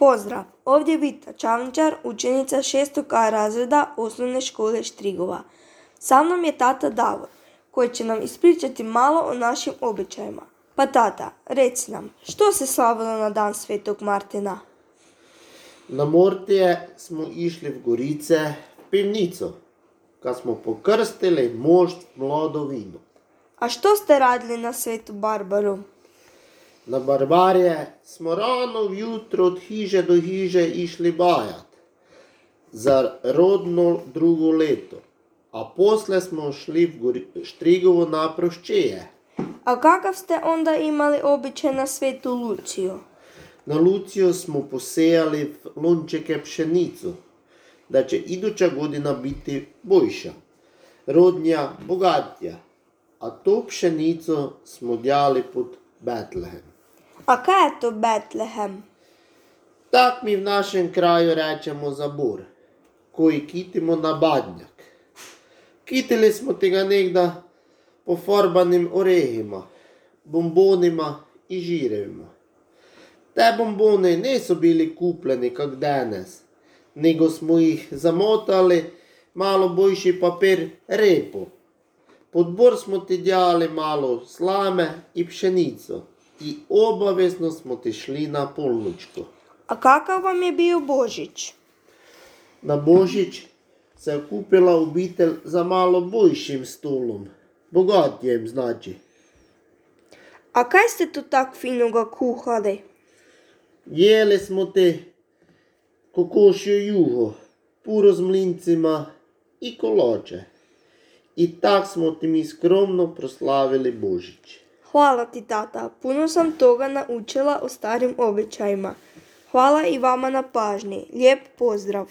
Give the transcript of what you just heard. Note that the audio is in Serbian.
Pozdrav, ovdje je Vita Čavničar, učenica 6. razreda osnovne škole Štrigova. Sa mnom je tata Davor, koji će nam ispričati malo o našim običajima. Pa tata, reci nam, što se slavilo na dan Svetog Martina? Na Mortije smo išli v Gorice v pivnico, kad smo pokrstili mošt mlado vino. A što ste radili na Svetu Barbaru? Na Barbarje smo rano vjutro od hiže do hiže išli bajat za rodno drugo leto, a posle smo šli v Štrigovo na proščeje. A kakav ste onda imali običaj na Svetu Luciju? Na Lucijo smo posejali v lončeke pšenicu, da će iduća godina biti boljša, rodnja, bogatija, a to pšenico smo djali pod Betlehem. A kaj je to Betlehem? Tak mi v našem kraju rečemo za bor, koji kitimo na badnjak. Kitili smo tega negda pofarbanim orehima, bombonima i žirevima. Te bombone niso bili kupljeni kak danes, nego smo ih zamotali malo boljši papir repo. Pod bor smo ti djali malo slame i pšenico i obavezno smo ti šli na polnočko. A kakav vam je bio Božić? Na Božić se je kupila obitelj za malo boljšim stolom, bogatjem znači. A kaj ste tu tak finoga kuhali? Jeli smo ti kokošjo juho, puro z mlincima i kolače. I tak smo ti mi skromno proslavili Božić. Hvala ti tata, puno sam toga naučila o starim običajima. Hvala i vama na pažnji, lijep pozdrav.